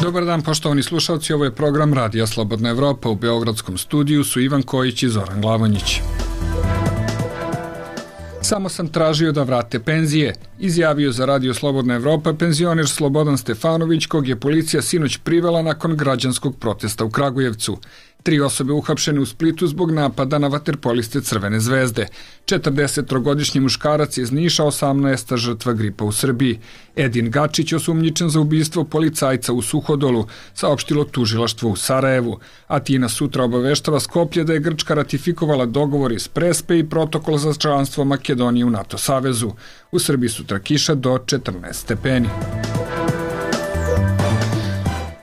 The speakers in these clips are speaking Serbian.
Dobar dan, poštovani slušalci, ovo je program Radija Slobodna Evropa. U Beogradskom studiju su Ivan Kojić i Zoran Glavonjić. Samo sam tražio da vrate penzije, izjavio za Radio Slobodna Evropa penzioner Slobodan Stefanović, kog je policija sinoć privela nakon građanskog protesta u Kragujevcu. 3 osobe uhapšene u Splitu zbog napada na vaterpoliste Crvene zvezde. 43-godišnji muškarac iz Niša, 18. žrtva gripa u Srbiji. Edin Gačić osumnjičen za ubistvo policajca u Suhodolu, saopštilo tužilaštvo u Sarajevu. Atina sutra obaveštava Skoplje da je Grčka ratifikovala dogovor iz Prespe i protokol za članstvo Makedonije u NATO savezu. U Srbiji sutra kiša do 14 stepeni.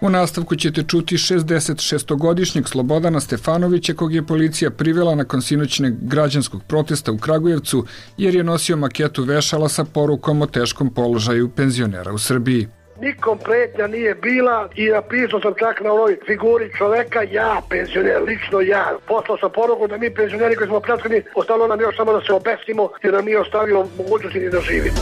U nastavku ćete čuti 66-godišnjeg Slobodana Stefanovića, kog je policija privela nakon sinoćnog građanskog protesta u Kragujevcu, jer je nosio maketu vešala sa porukom o teškom položaju penzionera u Srbiji. Nikom pretnja nije bila i napisao sam čak na onoj figuri čoveka, ja, penzioner, lično ja. Poslao sam poruku da mi penzioneri koji smo pljačkani, ostalo nam još samo da se obesimo jer nam nije ostavilo mogućnosti ni da živimo.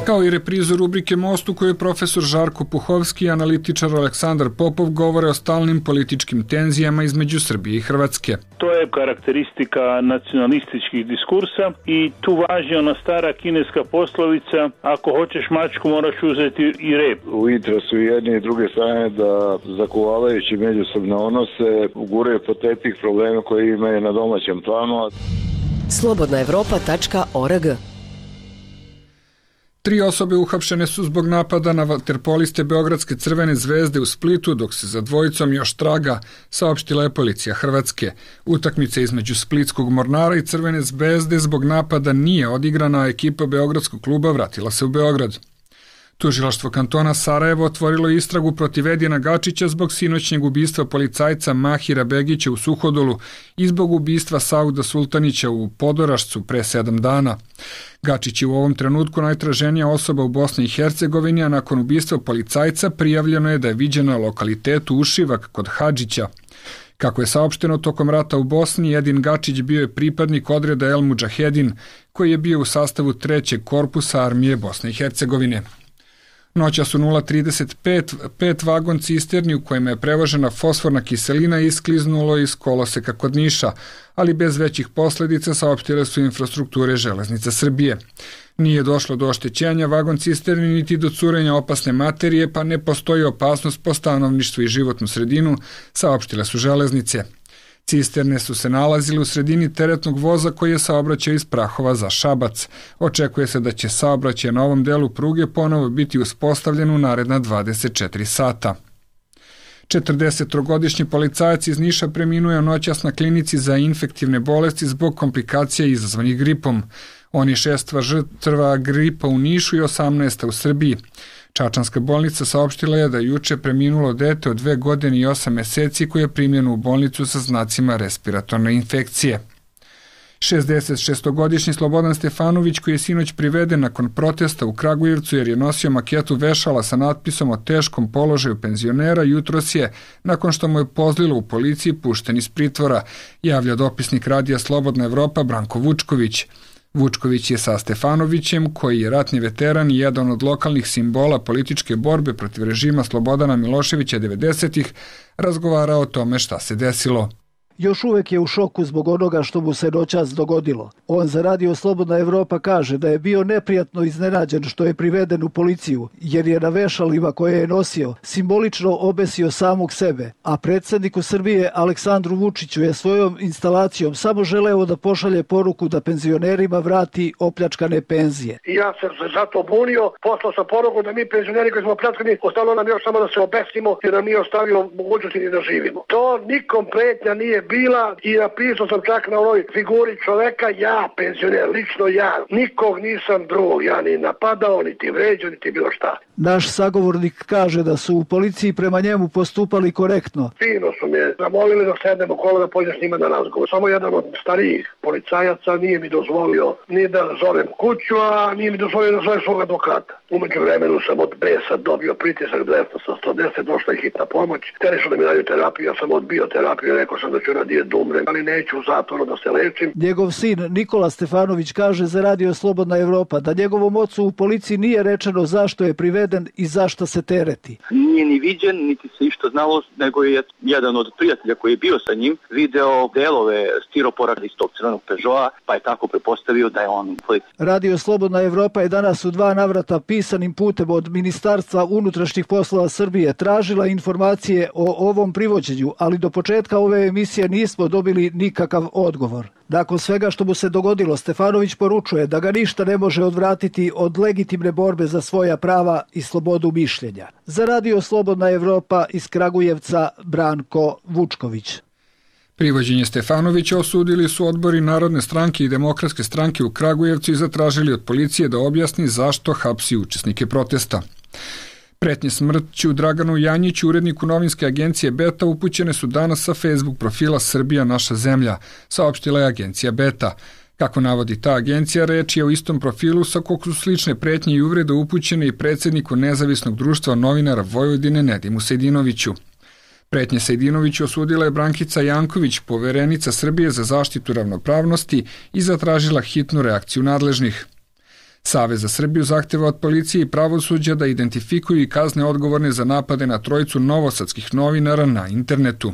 Kao i reprizu rubrike Most u kojoj profesor Žarko Puhovski i analitičar Aleksandar Popov govore o stalnim političkim tenzijama između Srbije i Hrvatske. To je karakteristika nacionalističkih diskursa i tu važi ona stara kineska poslovica: ako hoćeš mačku, moraš uzeti i rep. U interesu jedne i druge strane da zakuvavajući međusobne odnose uguraju po tepih problema koje imaju na domaćem planu. Slobodnaevropa.org 3 osobe uhapšene su zbog napada na vaterpoliste Beogradske Crvene zvezde u Splitu, dok se za dvojicom još traga, saopštila je policija Hrvatske. Utakmica između Splitskog Mornara i Crvene zvezde zbog napada nije odigrana, a ekipa Beogradskog kluba vratila se u Beograd. Tužilaštvo kantona Sarajevo otvorilo istragu protiv Edina Gačića zbog sinoćnjeg ubistva policajca Mahira Begića u Suhodolu i zbog ubistva Sauda Sultanića u Podorašcu pre 7 dana. Gačić je u ovom trenutku najtraženija osoba u Bosni i Hercegovini, a nakon ubistva policajca prijavljeno je da je viđen na lokalitetu Ušivak kod Hadžića. Kako je saopšteno, tokom rata u Bosni, Edin Gačić bio je pripadnik odreda El Mudžahedin, koji je bio u sastavu 3. korpusa armije Bosne i Hercegovine. Noćas u 0:35 vagon cisterni u kojima je prevožena fosforna kiselina iskliznulo iz koloseka kod Niša, ali bez većih posledica, saopštile su infrastrukture Železnica Srbije. Nije došlo do oštećenja vagon cisterni niti do curenja opasne materije, pa ne postoji opasnost po stanovništvo i životnu sredinu, saopštile su Železnice. Cisterne su se nalazile u sredini teretnog voza koji je saobraćao iz Prahova za Šabac. Očekuje se da će saobraćaj na ovom delu pruge ponovo biti uspostavljen u naredna 24 sata. 43-godišnji policajac iz Niša preminuo je noćas na klinici za infektivne bolesti zbog komplikacija izazvanih gripom. On je 6. žrtva gripa u Nišu i 18. u Srbiji. Čačanska bolnica saopštila je da je juče preminulo dete od 2 godine i 8 meseci koje je primljeno u bolnicu sa znacima respiratorne infekcije. 66-godišnji Slobodan Stefanović, koji je sinoć priveden nakon protesta u Kragujevcu jer je nosio maketu vešala sa natpisom o teškom položaju penzionera, jutros je, nakon što mu je pozlilo u policiji, pušten iz pritvora, javlja dopisnik Radija Slobodna Evropa Branko Vučković. Vučković je sa Stefanovićem, koji je ratni veteran i jedan od lokalnih simbola političke borbe protiv režima Slobodana Miloševića 90-ih, razgovarao o tome šta se desilo. Još uvek je u šoku zbog onoga što mu se noćas dogodilo. On za Radio Slobodna Evropa kaže da je bio neprijatno iznenađen što je priveden u policiju, jer je na vešalima koje je nosio simbolično obesio samog sebe, a predsjedniku Srbije Aleksandru Vučiću je svojom instalacijom samo želeo da pošalje poruku da penzionerima vrati opljačkane penzije. Ja sam se zato bunio, poslao sam poruku da mi penzioneri koji smo pljačkani, ostalo nam još samo da se obesimo jer nam nije ostavilo mogućnosti ni da živimo. To nikom pretnja nije bila i napisao sam čak na onoj figuri čoveka, ja, penzioner, lično ja. Nikog nisam drugog, ja ni napadao, niti vređao, niti bilo šta. Naš sagovornik kaže da su u policiji prema njemu postupali korektno. Fino su me zamolili da sednemo kolo da pođem s njima na razgovor. Samo jedan od starijih policajaca nije mi dozvolio ni da zovem kuću, a nije mi dozvolio da zovem svog advokata. Umeđu vremenu sam od besa dobio pritisak 200 sa 110, došla je hitna pomoć. Hteli su da mi daju terapiju, ja sam odbio terapiju, rekao sam da ću neću radije da umrem, ali neću u zatvoru da se lečim. Njegov sin Nikola Stefanović kaže za Radio Slobodna Evropa da njegovom ocu u policiji nije rečeno zašto je priveden i zašto se tereti. Nije ni viđen, niti se išta znalo, nego je jedan od prijatelja koji je bio sa njim video delove stiropora iz tog crvenog Peugeota, pa je tako prepostavio da je on u policiji. Radio Slobodna Evropa je danas u 2 navrata pisanim putem od Ministarstva unutrašnjih poslova Srbije tražila informacije o ovom privođenju, ali do početka ove emisije nismo dobili nikakav odgovor. Nakon svega što mu se dogodilo, Stefanović poručuje da ga ništa ne može odvratiti od legitimne borbe za svoja prava i slobodu mišljenja. Za Radio Slobodna Evropa iz Kragujevca, Branko Vučković. Privođenje Stefanovića osudili su odbori Narodne stranke i Demokratske stranke u Kragujevcu i zatražili od policije da objasni zašto hapsi učesnike protesta. Pretnje smrću Draganu Janjiću, uredniku novinske agencije Beta, upućene su danas sa Facebook profila Srbija naša zemlja, saopštila je agencija Beta. Kako navodi ta agencija, reč je o istom profilu sa kog su slične pretnje i uvrede upućene i predsjedniku Nezavisnog društva novinara Vojvodine Nedimu Sejdinoviću. Pretnje Sejdinoviću osudila je Brankica Janković, poverenica Srbije za zaštitu ravnopravnosti, i zatražila hitnu reakciju nadležnih. Savez za Srbiju zahteva od policije i pravosuđa da identifikuju i kazne odgovorne za napade na trojicu novosadskih novinara na internetu.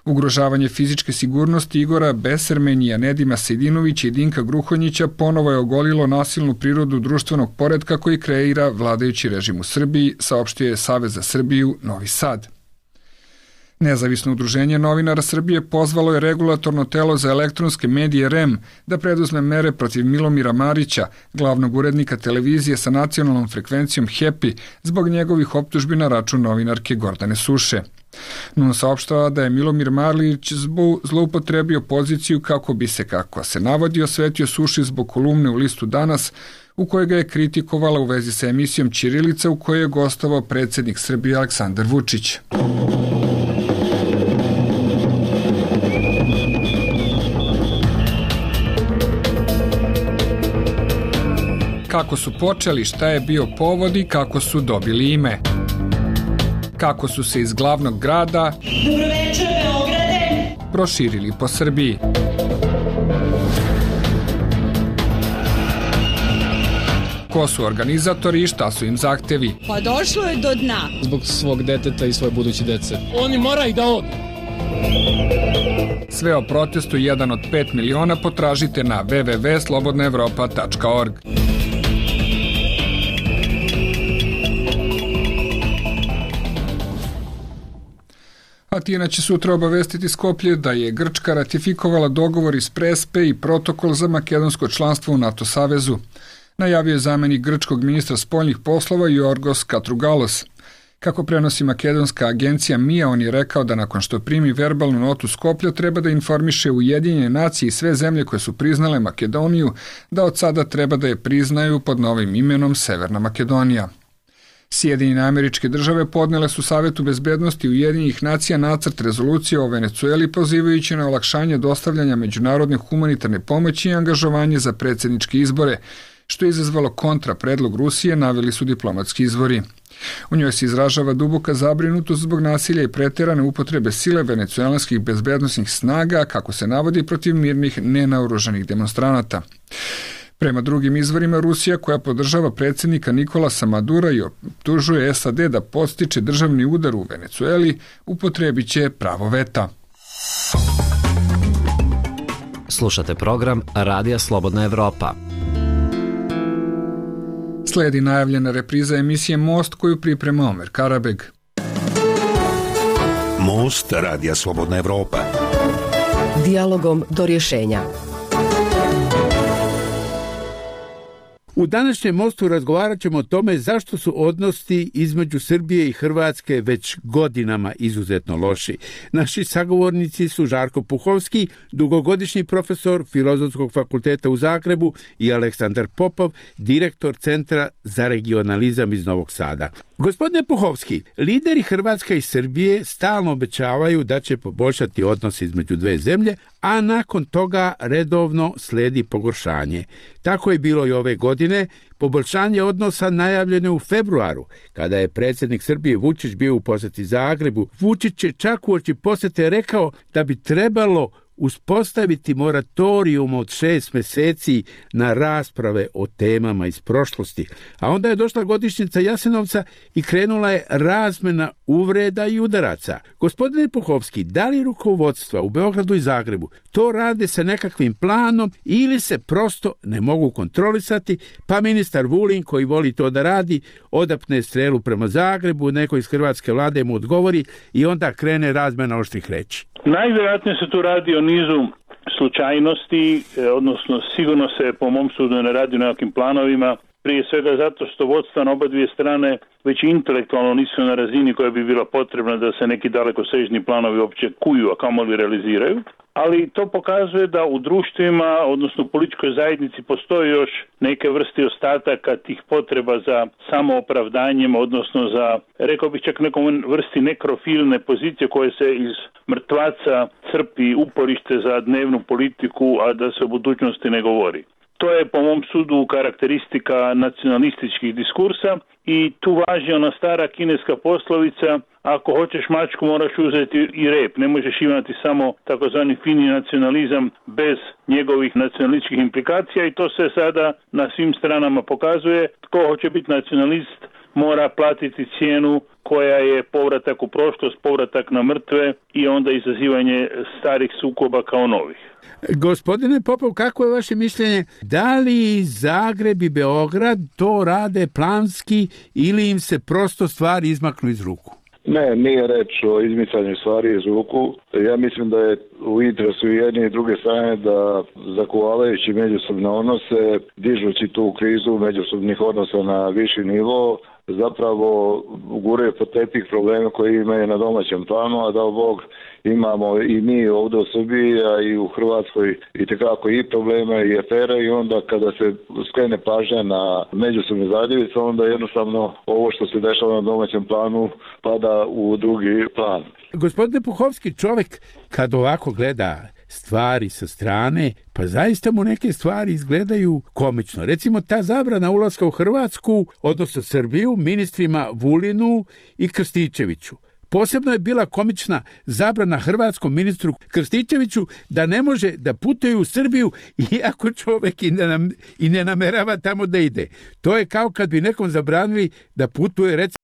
Ugrožavanje fizičke sigurnosti Igora Besermenija, Nedima Sejdinovića i Dinka Gruhonjića ponovo je ogolilo nasilnu prirodu društvenog poretka koji kreira vladajući režim u Srbiji, saopštio je Savez za Srbiju Novi Sad. Nezavisno udruženje novinara Srbije pozvalo je regulatorno telo za elektronske medije REM da preduzme mere protiv Milomira Marića, glavnog urednika televizije sa nacionalnom frekvencijom HEPI, zbog njegovih optužbi na račun novinarke Gordane Suše. NUN saopštava da je Milomir Marić zloupotrebio poziciju kako bi se, kako se navodi, osvetio Suši zbog kolumne u listu Danas, u kojoj ga je kritikovala u vezi sa emisijom Ćirilica u kojoj je gostovao predsjednik Srbije Aleksandar Vučić. Kako su počeli, šta je bio povod i kako su dobili ime. Kako su se iz glavnog grada proširili po Srbiji. Ko su organizatori i šta su im zahtevi? Pa došlo je do dna. Zbog svog deteta i svoje buduće dece. Oni moraju da odu. Sve o protestu 1 od 5 miliona potražite na www.slobodnaevropa.org. Atina će sutra obavestiti Skoplje da je Grčka ratifikovala dogovor iz Prespe i protokol za makedonsko članstvo u NATO savezu. Najavio je zamjenik grčkog ministra spoljnih poslova Jorgos Katrugalos. Kako prenosi makedonska agencija MIA, on je rekao da nakon što primi verbalnu notu Skoplja treba da informiše Ujedinjene nacije i sve zemlje koje su priznale Makedoniju da od sada treba da je priznaju pod novim imenom Severna Makedonija. Sjedinjene Američke Države podnele su Savetu bezbednosti Ujedinjenih nacija nacrt rezolucije o Venecueli pozivajući na olakšanje dostavljanja međunarodne humanitarne pomoći i angažovanje za predsjedničke izbore, što je izazvalo kontra predlog Rusije, naveli su diplomatski izvori. U njoj se izražava duboka zabrinutost zbog nasilja i preterane upotrebe sile venecuelanskih bezbednosnih snaga, kako se navodi, protiv mirnih nenaoružanih demonstranata. Prema drugim izvorima, Rusija, koja podržava predsjednika Nikolasa Madura i optužuje SAD da podstiče državni udar u Venecueli, upotrebit će pravo veta. Slušate program Radija Slobodna Evropa. Slijedi najavljena repriza emisije Most koju priprema Omer Karabeg. Most Radija Slobodna Evropa. Dijalogom do rješenja. U današnjem Mostu razgovarat ćemo o tome zašto su odnosi između Srbije i Hrvatske već godinama izuzetno loši. Naši sagovornici su Žarko Puhovski, dugogodišnji profesor Filozofskog fakulteta u Zagrebu, i Aleksandar Popov, direktor Centra za regionalizam iz Novog Sada. Gospodine Puhovski, lideri Hrvatske i Srbije stalno obećavaju da će poboljšati odnose između dve zemlje, a nakon toga redovno sledi pogoršanje. Tako je bilo i ove godine. Poboljšanje odnosa najavljeno u februaru, kada je predsjednik Srbije Vučić bio u posjeti Zagrebu. Vučić je čak uoči posjete rekao da bi trebalo uspostaviti moratorijum od 6 mjeseci na rasprave o temama iz prošlosti. A onda je došla godišnjica Jasenovca i krenula je razmjena uvreda i udaraca. Gospodine Puhovski, da li rukovodstva u Beogradu i Zagrebu to rade sa nekakvim planom ili se prosto ne mogu kontrolisati, pa ministar Vulin, koji voli to da radi, odapne strelu prema Zagrebu, neko iz hrvatske vlade mu odgovori i onda krene razmjena oštrih reči? Najvjerojatnije se tu radi o nizu slučajnosti, odnosno sigurno se po mom sudu ne radi o nekakvim planovima, prije svega zato što vodstva na oba dvije strane već intelektualno nisu na razini koja bi bila potrebna da se neki dalekosežni planovi uopće kuju, a kamoli realiziraju. Ali to pokazuje da u društvima, odnosno u političkoj zajednici, postoji još neke vrste ostataka tih potreba za samoopravdanjem, odnosno za, rekao bih čak nekom vrsti nekrofilne pozicije koje se iz mrtvaca crpi uporište za dnevnu politiku, a da se o budućnosti ne govori. To je po mom sudu karakteristika nacionalističkih diskursa i tu važi ona stara kineska poslovica: ako hoćeš mačku moraš uzeti i rep. Ne možeš imati samo takozvani fini nacionalizam bez njegovih nacionalističkih implikacija i to se sada na svim stranama pokazuje. Tko hoće biti nacionalist mora platiti cijenu koja je povratak u prošlost, povratak na mrtve i onda izazivanje starih sukoba kao novih. Gospodine Popov, kako je vaše mišljenje? Da li Zagreb i Beograd to rade planski ili im se prosto stvari izmaknu iz ruku? Ne, nije reč o izmicanju stvari iz ruku. Ja mislim da je u interesu jedne i druge strane da zakuvavajući međusobne odnose, dižući tu krizu međusobnih odnosa na viši nivo, zapravo guraju pod tepih problema koji imaju na domaćem planu, a da Bog imamo i mi ovdje u Srbiji, a i u Hrvatskoj itekako i problema i afere, i onda kada se skrene pažnja na međusobne zadjevice, onda jednostavno ovo što se dešava na domaćem planu pada u drugi plan. Gospodine Puhovski, čovjek kad ovako gleda stvari sa strane, pa zaista mu neke stvari izgledaju komično. Recimo ta zabrana ulaska u Hrvatsku, odnosno Srbiju, ministrima Vulinu i Krstičeviću. Posebno je bila komična zabrana hrvatskom ministru Krstičeviću da ne može da putuje u Srbiju iako čovjek i ne namerava tamo da ide. To je kao kad bi nekom zabranili da putuje, recimo,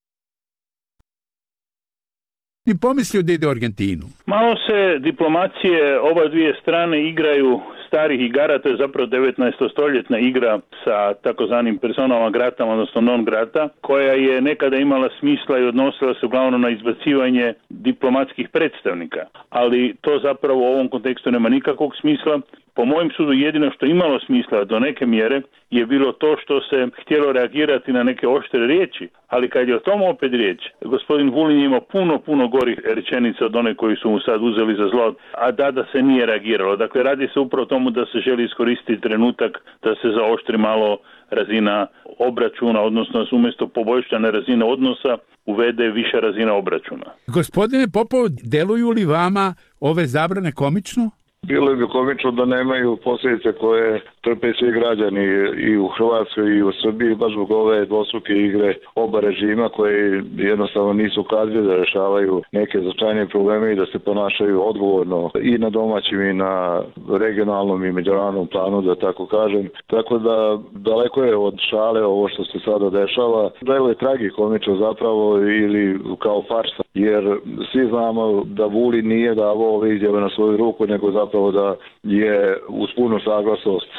ni pomislio da ide u Argentinu. Malo se diplomacije oba dvije strane igraju starih igara, to je zapravo 19. stoljetna igra sa takozvanim personama gratama, odnosno non grata, koja je nekada imala smisla i odnosila se uglavnom na izbacivanje diplomatskih predstavnika. Ali to zapravo u ovom kontekstu nema nikakvog smisla. Po mojem sudu jedino što imalo smisla do neke mjere je bilo to što se htjelo reagirati na neke oštre riječi, ali kad je o tom opet riječ, gospodin Vulin je imao puno gorih rečenica od one koji su mu sad uzeli za zlo, a da se nije reagiralo. Dakle, radi se upravo tomu da se želi iskoristiti trenutak da se zaoštri malo razina obračuna, odnosno umjesto poboljšane razine odnosa uvede viša razina obračuna. Gospodine Popov, deluju li vama ove zabrane komično? Bilo bi komično da nemaju posljedice koje trpe svi građani i u Hrvatskoj i u Srbiji, baš zbog ove dvostruke igre oba režima koji jednostavno nisu kadri da rešavaju neke značajne probleme i da se ponašaju odgovorno i na domaćim i na regionalnom i međunarodnom planu, da tako kažem. Tako da daleko je od šale ovo što se sada dešava. Delo je tragikomično zapravo ili kao farsa, jer svi znamo da Vulin nije davao ove izjave na svoju ruku, nego zapravo da je uz punu saglasnost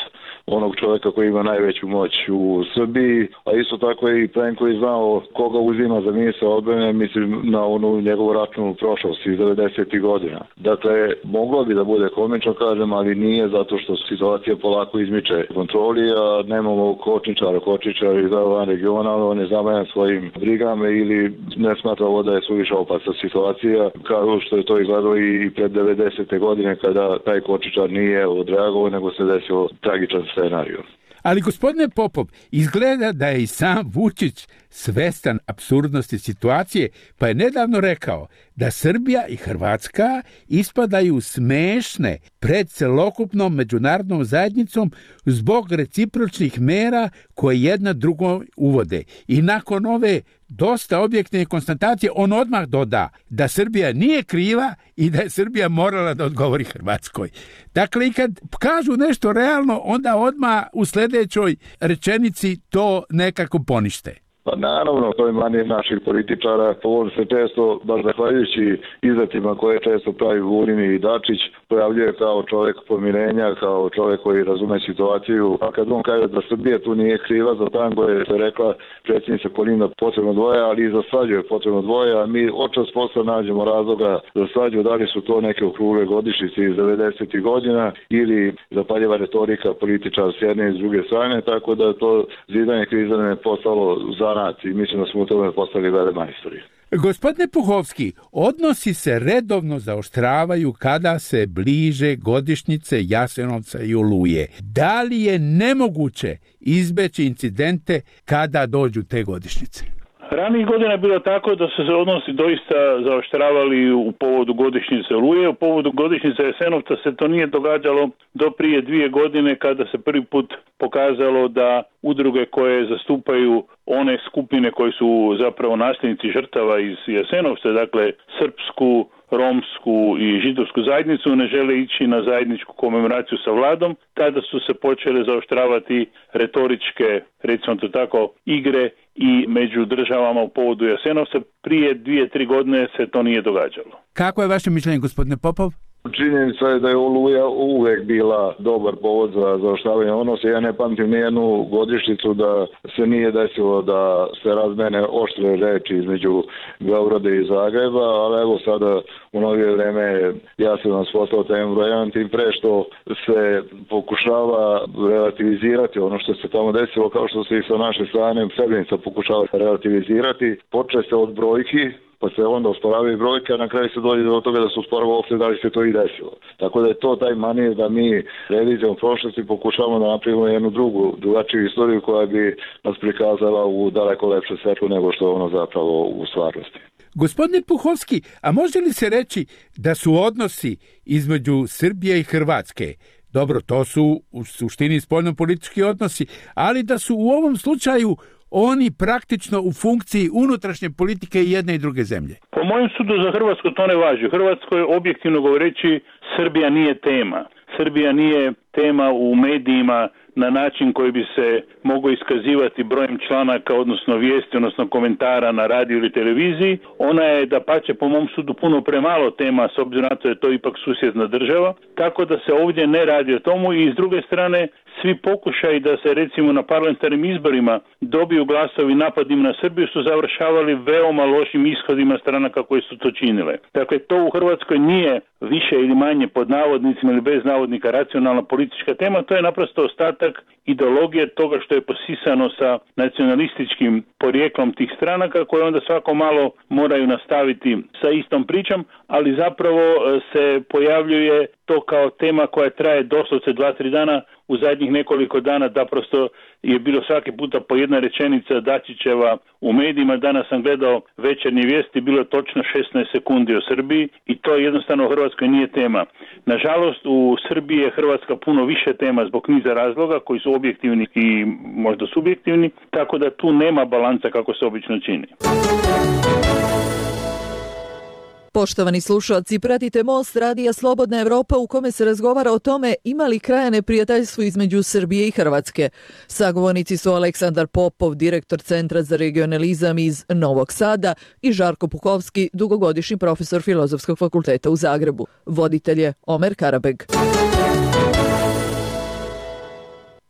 onog čovjeka koji ima najveću moć u Srbiji, a isto tako i Plenko je znao koga uzima za ministra odbrane, mislim na onu njegovu ratnu prošlost iz 90. godina. Dakle, moglo bi da bude komično, kažem, ali nije, zato što situacija polako izmiče kontroli, a nemamo kočničar iz van regiona, on je zamajan svojim brigama ili ne smatra ovo da je suviše opasna situacija, kao što je to izgledalo i pred 90. godine kada taj kočničar nije odreagovao, nego se desilo tragičan scenariju. Ali gospodine Popov, izgleda da je i sam Vučić svestan apsurdnosti situacije, pa je nedavno rekao da Srbija i Hrvatska ispadaju smešne pred celokupnom međunarodnom zajednicom zbog recipročnih mera koje jedna drugo uvode. I nakon ove dosta objektivne konstatacije on odmah doda da Srbija nije kriva i da je Srbija morala da odgovori Hrvatskoj. Dakle, i kad kažu nešto realno, onda odmah u sljedećoj rečenici to nekako ponište. Pa naravno, to je manir naših političara. On se često, baš zahvaljujući izletima koje često pravi Vulin i Dačić, pojavljuje kao čovjek pomirenja, kao čovjek koji razume situaciju. A kad on kaže da Srbija tu nije kriva za tango, je se rekla predsjednica Kolinda potrebno dvoje, ali i za svađu je potrebno dvoje, a mi očas posla nađemo razloga za svađu, da li su to neke okrugle godišnjice iz 90. godina ili zapaljeva retorika političara s jedne i s druge strane, tako da to zidanje kriza ne postalo za i mislim da smo u tome postali velemajstori. Gospodine Puhovski, odnosi se redovno zaoštravaju kada se bliže godišnjice Jasenovca i Oluje. Da li je nemoguće izbeći incidente kada dođu te godišnjice? Ranijih godina je bilo tako da su se odnosi doista zaoštravali u povodu godišnjice Oluje. U povodu godišnjice Jasenovca se to nije događalo do prije 2 godine kada se prvi put pokazalo da udruge koje zastupaju one skupine koji su zapravo nasljednici žrtava iz Jasenovca, dakle srpsku, romsku i židovsku zajednicu, ne žele ići na zajedničku komemoraciju sa vladom. Tada su se počele zaoštravati retoričke, recimo to tako, igre i među državama u povodu Jasenovca. Prije 2-3 godine se to nije događalo. Kako je vaše mišljenje, gospodine Popov? Činjenica je da je Oluja uvek bila dobar povod za zaoštravanje odnosa. Ja ne pamtim nijednu godišnjicu da se nije desilo da se razmene oštre reči između Beograda i Zagreba, ali evo sada u novije vreme ja sam nas postao tem brojan, tim pre što se pokušava relativizirati ono što se tamo desilo, kao što se i sa naše strane Srebrenica pokušava relativizirati. Počne se od brojki, pa se onda osporavaju brojke, a na kraju se dođe do toga da se osporava uopšte da li se to i desilo. Tako da je to taj manir da mi revizijom prošlosti pokušavamo da napravimo jednu drugačiju istoriju koja bi nas prikazala u daleko lepše svetlu nego što je ono zapravo u stvarnosti. Gospodine Puhovski, a može li se reći da su odnosi između Srbije i Hrvatske, dobro, to su u suštini spoljnopolitički odnosi, ali da su u ovom slučaju oni praktično u funkciji unutrašnje politike i jedne i druge zemlje? Po mojem sudu za Hrvatsku to ne važi. U Hrvatskoj, objektivno govoreći, Srbija nije tema. Srbija nije tema u medijima na način koji bi se mogao iskazivati brojem članaka, odnosno vijesti, odnosno komentara na radiju ili televiziji. Ona je, dapače, po mom sudu puno premalo tema, s obzirom na to je to ipak susjedna država, tako da se ovdje ne radi o tomu i s druge strane svi pokušaji da se recimo na parlamentarnim izborima dobiju glasovi napadima na Srbiju su završavali veoma lošim ishodima stranaka koje su to činile. Dakle, to u Hrvatskoj nije više ili manje pod navodnicima ili bez navodnika racionalna politička tema, to je naprosto ostatak ideologije toga što je posisano sa nacionalističkim porijeklom tih stranaka koje onda svako malo moraju nastaviti sa istom pričom, ali zapravo se pojavljuje to kao tema koja traje doslovce 2-3 dana. U zadnjih nekoliko dana da prosto je bilo svaki puta po jedna rečenica Dačićeva u medijima. Danas sam gledao večernje vijesti, bilo je točno 16 sekundi o Srbiji i to jednostavno u Hrvatskoj nije tema. Nažalost, u Srbiji je Hrvatska puno više tema zbog niza razloga koji su objektivni i možda subjektivni, tako da tu nema balansa kako se obično čini. Poštovani slušalci, pratite Most radija Slobodna Evropa u kome se razgovara o tome ima li kraja neprijateljstvu između Srbije i Hrvatske. Sagovornici su Aleksandar Popov, direktor Centra za regionalizam iz Novog Sada i Žarko Puhovski, dugogodišnji profesor Filozofskog fakulteta u Zagrebu. Voditelj je Omer Karabeg.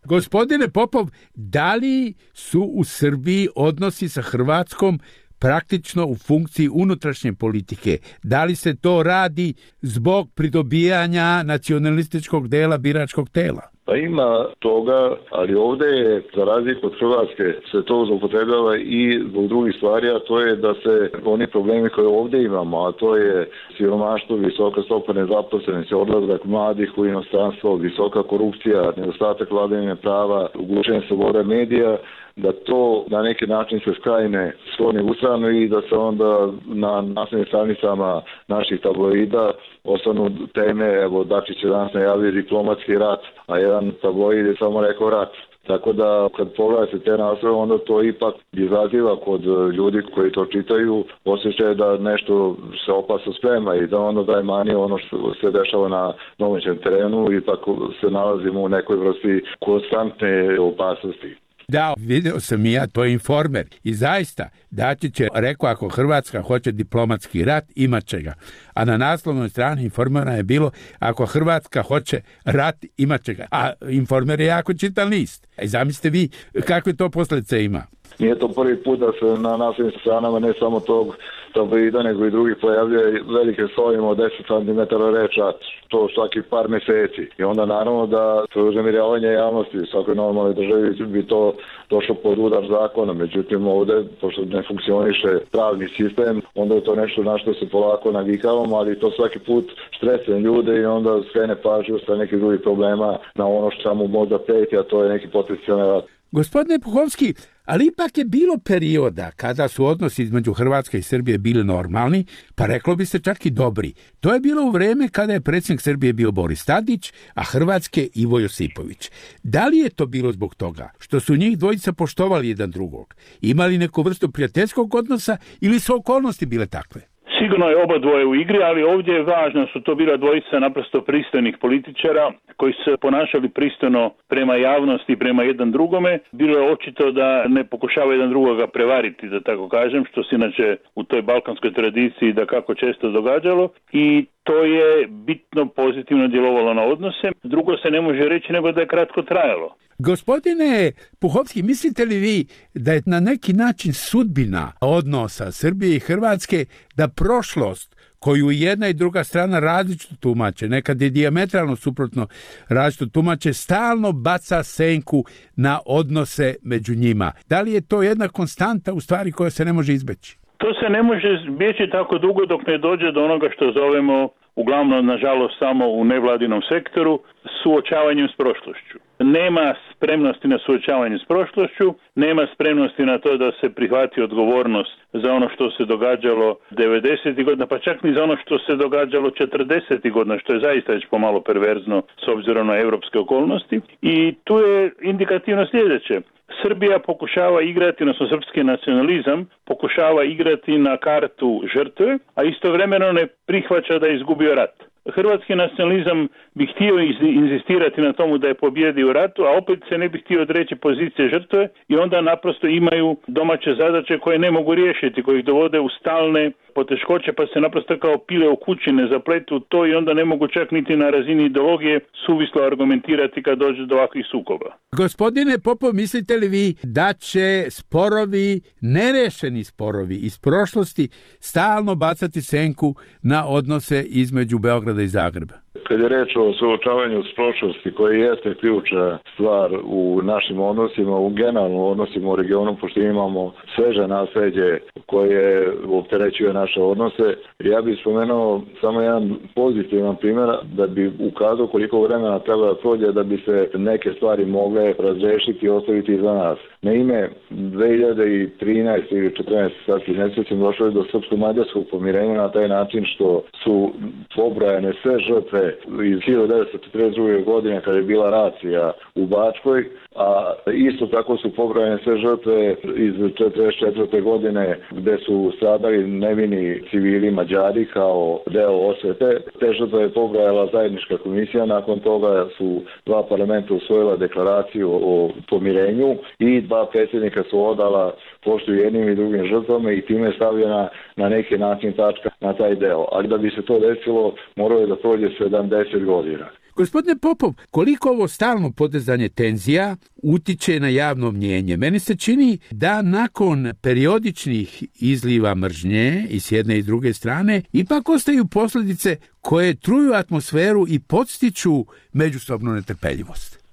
Gospodine Popov, da li su u Srbiji odnosi sa Hrvatskom praktično u funkciji unutrašnje politike? Da li se to radi zbog pridobijanja nacionalističkog dela biračkog tela? Pa ima toga, ali ovdje je, za razliku od Hrvatske, se to zloupotrebljava i zbog drugih stvari, a to je da se oni problemi koje ovdje imamo, a to je siromaštvo, visoka stopa nezaposlenosti, odlazak mladih u inostranstvo, visoka korupcija, nedostatak vladavine prava, ugušenje slobode medija, da to na neki način se skrajne skloni u stranu i da se onda na naslovnim stranicama naših tabloida ostanu teme, evo Dačić je danas najavio diplomatski rat, a jedan tabloid je samo rekao rat. Tako da kad pogledate te naslove, onda to ipak izaziva kod ljudi koji to čitaju osjećaj da nešto se opasno sprema i da onda daje manje ono što se dešava na domaćem terenu i tako se nalazimo u nekoj vrsti konstantne opasnosti. Da, vidio sam i ja, to je Informer. I zaista, Dačić je rekao, ako Hrvatska hoće diplomatski rat, imat će ga. A na naslovnoj strani Informera je bilo, ako Hrvatska hoće rat, imat će ga. A Informer je jako čitan list. I zamislite vi kakve to posljedice ima. Nije to prvi put da se na naslovnim stranama ne samo tog tabloida, nego i drugih pojavljuje velike slovima od 10 cm reča, to svaki par mjeseci. I onda naravno da uznemirjavanje javnosti u svakoj normalnoj državi bi to došlo pod udar zakona. Međutim, ovdje, pošto ne funkcioniše pravni sistem, onda je to nešto na što se polako navikavamo, ali to svaki put stresuje ljude i onda skrene pažnju sa nekih drugih problema na ono što mu možda preti, a to je neki potencijalni rat. Gospodine Puhovski, ali ipak je bilo perioda kada su odnosi između Hrvatske i Srbije bili normalni, pa reklo bi se čak i dobri. To je bilo u vrijeme kada je predsjednik Srbije bio Boris Tadić, a Hrvatske Ivo Josipović. Da li je to bilo zbog toga što su njih dvojica poštovali jedan drugog, imali neku vrstu prijateljskog odnosa ili su okolnosti bile takve? Sigurno je oba dvoje u igri, ali ovdje je važno, su to bila dvojica naprosto pristojnih političara koji su se ponašali pristojno prema javnosti, prema jedan drugome. Bilo je očito da ne pokušava jedan drugoga prevariti, da tako kažem, što se inače u toj balkanskoj tradiciji da kako često događalo i to je bitno pozitivno djelovalo na odnose. Drugo se ne može reći nego da je kratko trajalo. Gospodine Puhovski, mislite li vi da je na neki način sudbina odnosa Srbije i Hrvatske da prošlost koju jedna i druga strana različito tumače, nekad je dijametralno suprotno različito tumače, stalno baca senku na odnose među njima? Da li je to jedna konstanta u stvari koja se ne može izbeći? To se ne može izbjeći tako dugo dok ne dođe do onoga što zovemo, uglavnom nažalost samo u nevladinom sektoru, suočavanjem s prošlošću. Nema spremnosti na suočavanje s prošlošću, nema spremnosti na to da se prihvati odgovornost za ono što se događalo 90. godina, pa čak ni za ono što se događalo 40. godina, što je zaista već pomalo perverzno s obzirom na europske okolnosti. I tu je indikativno sljedeće. Srbija pokušava igrati, odnosno srpski nacionalizam, pokušava igrati na kartu žrtve, a istovremeno ne prihvaća da je izgubio rat. Hrvatski nacionalizam bi htio inzistirati na tomu da je pobjedio u ratu, a opet se ne bi htio odreći pozicije žrtve i onda naprosto imaju domaće zadaće koje ne mogu riješiti, koje ih dovode u stalne poteškoće, pa se naprosto kao pile u kući ne zapletu to i onda ne mogu čak niti na razini ideologije suvislo argumentirati kad dođe do ovakvih sukoba. Gospodine Popov, mislite li vi da će sporovi, nerešeni sporovi iz prošlosti stalno bacati senku na odnose između Beograda i Zagreba? Kad je reč o suočavanju s prošlosti, koji jeste ključna stvar u našim odnosima, u generalnom odnosima u regionu, pošto imamo sveže nasleđe koje opterećuje naše odnose, ja bih spomenuo samo jedan pozitivan primjer da bi ukazao koliko vremena treba da prođe da bi se neke stvari mogle razrešiti i ostaviti iza nas. Naime, 2013. ili 14. sad ne sjećam, došlo je do srpsko-mađarskog pomirenja na taj način što su pobrojane sve žrtve iz 1942. godine kada je bila racija u Bačkoj, a isto tako su pobrojane sve žrtve iz 1944. godine gde su stradali nevini civili Mađari kao deo osvete. Te žrtve je pobrojala zajednička komisija, nakon toga su dva parlamenta usvojila deklaraciju o pomirenju i dva predsjednika su odala poštu jednim i drugim žrtvama i time je stavljena na neki način tačka na taj deo. Ali da bi se to desilo, moralo je da prođe 70 godina. Gospodine Popov, koliko ovo stalno podizanje tenzija utiče na javno mnjenje? Meni se čini da nakon periodičnih izliva mržnje i s jedne i s druge strane ipak ostaju posljedice koje truju atmosferu i podstiču međusobnu netrpeljivost.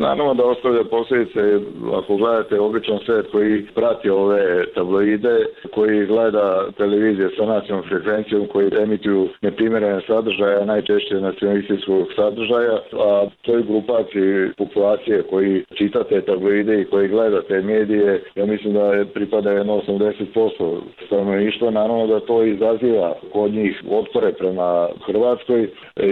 Naravno da ostavlja posljedice, ako gledate običan svijet koji prati ove tabloide, koji gleda televizije sa nacionalnom frekvencijom, koji emituju neprimjerene sadržaja, najčešće nacionalističkog sadržaja, a toj grupaciji populacije koji čita te tabloide i koji gleda te medije, ja mislim da pripada 80% stanovništva. Naravno da to izaziva kod njih otpore prema Hrvatskoj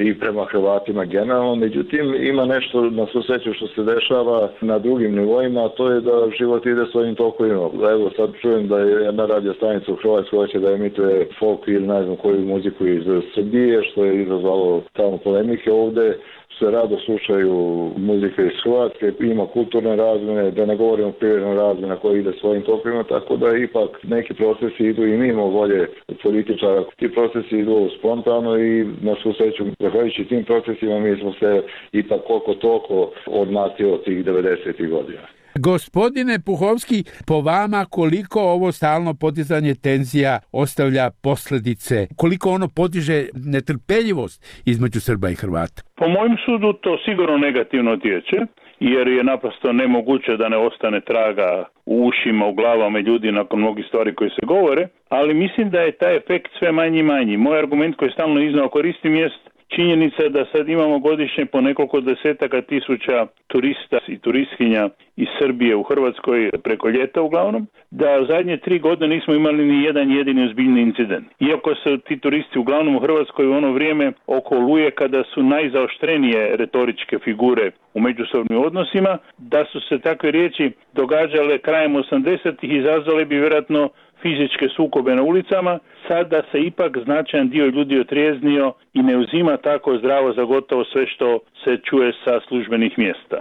i prema Hrvatima generalno. Međutim, ima nešto na svu sreću što se dešava na drugim nivoima, a to je da život ide svojim tokovima. Evo sad čujem da je jedna radio stanica u Hrvatskoj hoće da emituje folk ili ne znam koju muziku iz Srbije, što je izazvalo tamo polemike. Ovde se rado slušaju muzike iz Hrvatske, ima kulturne razmjene, da ne govorimo o privrednoj razmjene koja ide svojim tokovima, tako da ipak neki procesi idu i mimo volje političara. Ti procesi idu spontano i na svu sreću, zahvaljujući tim procesima, mi smo se ipak koliko toliko odmakli od tih 90. godina. Gospodine Puhovski, po vama koliko ovo stalno podizanje tenzija ostavlja posljedice, koliko ono podiže netrpeljivost između Srba i Hrvata? Po mojem sudu to sigurno negativno utječe, jer je naprosto nemoguće da ne ostane traga u ušima, u glavama ljudi nakon mnogih stvari koje se govore, ali mislim da je taj efekt sve manji i manji. Moj argument koji stalno iznao koristim jest činjenica da sad imamo godišnje po nekoliko desetaka tisuća turista i turistkinja iz Srbije u Hrvatskoj preko ljeta uglavnom, da u zadnje 3 godine nismo imali ni jedan jedini ozbiljni incident. Iako su ti turisti uglavnom u Hrvatskoj u ono vrijeme oko Oluje kada su najzaoštrenije retoričke figure u međusobnim odnosima, da su se takve riječi događale krajem 80-ih, izazvale bi vjerojatno fizičke sukobe na ulicama. Sada se ipak značajan dio ljudi otrijeznio i ne uzima tako zdravo za gotovo sve što se čuje sa službenih mjesta.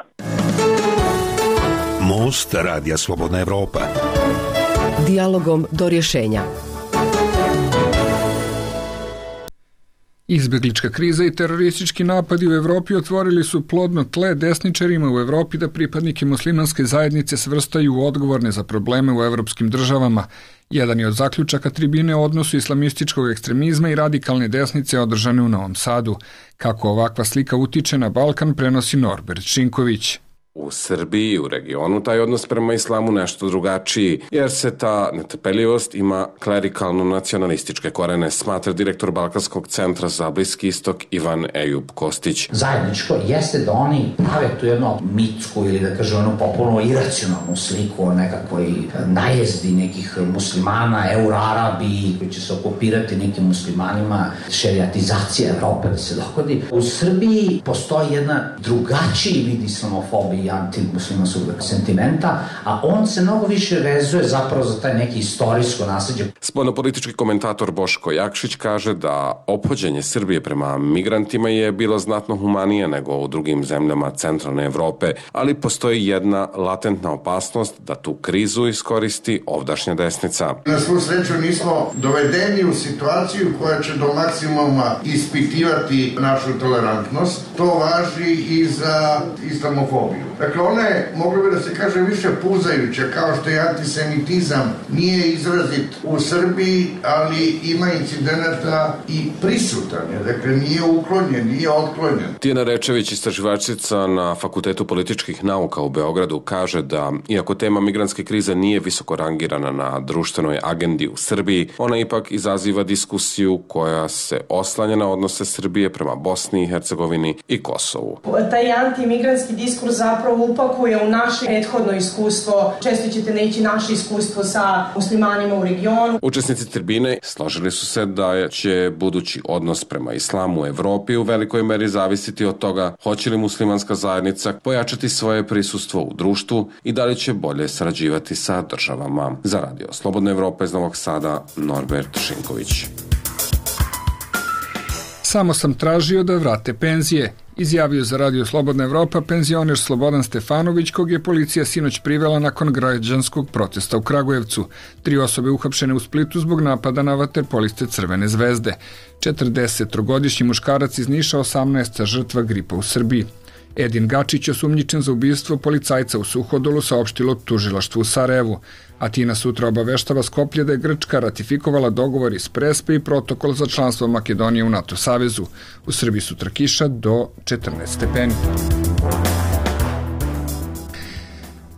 Most Radija Slobodna Evropa. Dijalogom do rješenja. Izbjeglička kriza i teroristički napadi u Evropi otvorili su plodno tle desničarima u Evropi da pripadnike muslimanske zajednice svrstaju u odgovorne za probleme u evropskim državama. Jedan je od zaključaka tribine o odnosu islamističkog ekstremizma i radikalne desnice održane u Novom Sadu. Kako ovakva slika utiče na Balkan, prenosi Norbert Šinković. U Srbiji i u regionu taj odnos prema islamu nešto drugačiji, jer se ta netrpeljivost ima klerikalno-nacionalističke korene, smatra direktor Balkanskog centra za Bliski istok Ivan Ejub Kostić. Zajedničko jeste da oni prave tu jednu mitsku ili da kažem jednu popularno iracionalnu sliku o nekakvoj najezdi nekih muslimana, Euro-Arabi, koji će se okupirati nekim muslimanima, šerijatizacija Evrope da se dogodi. U Srbiji postoji jedna drugačiji vid islamofobije i antimuslimanskog sentimenta, a on se mnogo više vezuje zapravo za taj neki istorijsko nasljeđe. Spoljnopolitički komentator Boško Jakšić kaže da ophođenje Srbije prema migrantima je bilo znatno humanije nego u drugim zemljama centralne Evrope, ali postoji jedna latentna opasnost da tu krizu iskoristi ovdašnja desnica. Na svu sreću nismo dovedeni u situaciju koja će do maksimuma ispitivati našu tolerantnost. To važi i za islamofobiju. Dakle, ona je, moglo bi da se kaže, više puzajuća, kao što je antisemitizam nije izrazit u Srbiji, ali ima incidenata i prisutan je, dakle nije uklonjen, nije otklonjen. Tijana Rečević, istraživačica na Fakultetu političkih nauka u Beogradu, kaže da, iako tema migrantske krize nije visoko rangirana na društvenoj agendi u Srbiji, ona ipak izaziva diskusiju koja se oslanja na odnose Srbije prema Bosni i Hercegovini i Kosovu. Taj antimigrantski diskurs zapravo upakuje u naše prethodno iskustvo. Često ćete naći naše iskustvo sa muslimanima u regionu. Učesnici tribine složili su se da će budući odnos prema islamu u Evropi u velikoj meri zavisiti od toga hoće li muslimanska zajednica pojačati svoje prisustvo u društvu i da li će bolje sarađivati sa državama. Za Radio Slobodna Evropa iz Novog Sada, Norbert Šinković. Samo sam tražio da vrate penzije. izjavio za Radio Slobodna Evropa penzioner Slobodan Stefanović, kog je policija sinoć privela nakon građanskog protesta u Kragujevcu. 3 osobe uhapšene u Splitu zbog napada na vaterpoliste Crvene zvezde. 43-godišnji muškarac iz Niša, 18. žrtva gripa u Srbiji. Edin Gačić, osumnjičen za ubistvo policajca u Suhodolu, saopštilo tužilaštvu u Sarajevu. Atina sutra obaveštava Skoplje da je Grčka ratifikovala dogovor iz Prespe i protokol za članstvo Makedonije u NATO savezu. U Srbiji sutra kiša do 14 stepeni.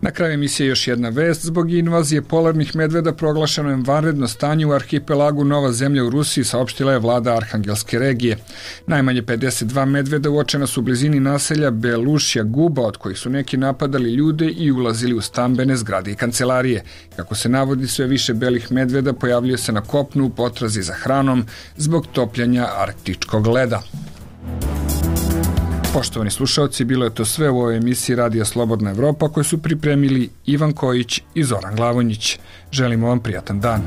Na kraju emisije još jedna vest. Zbog invazije polarnih medveda proglašeno je vanredno stanje u arhipelagu Nova zemlja u Rusiji, saopštila je vlada Arhangelske regije. Najmanje 52 medveda uočena su u blizini naselja Belušja Guba, od kojih su neki napadali ljude i ulazili u stambene zgrade i kancelarije. Kako se navodi, sve više belih medveda pojavljuje se na kopnu u potrazi za hranom zbog topljanja arktičkog leda. Poštovani slušaoci, bilo je to sve u ovoj emisiji Radija Slobodna Evropa koju su pripremili Ivan Kojić i Zoran Glavonjić. Želimo vam prijatan dan.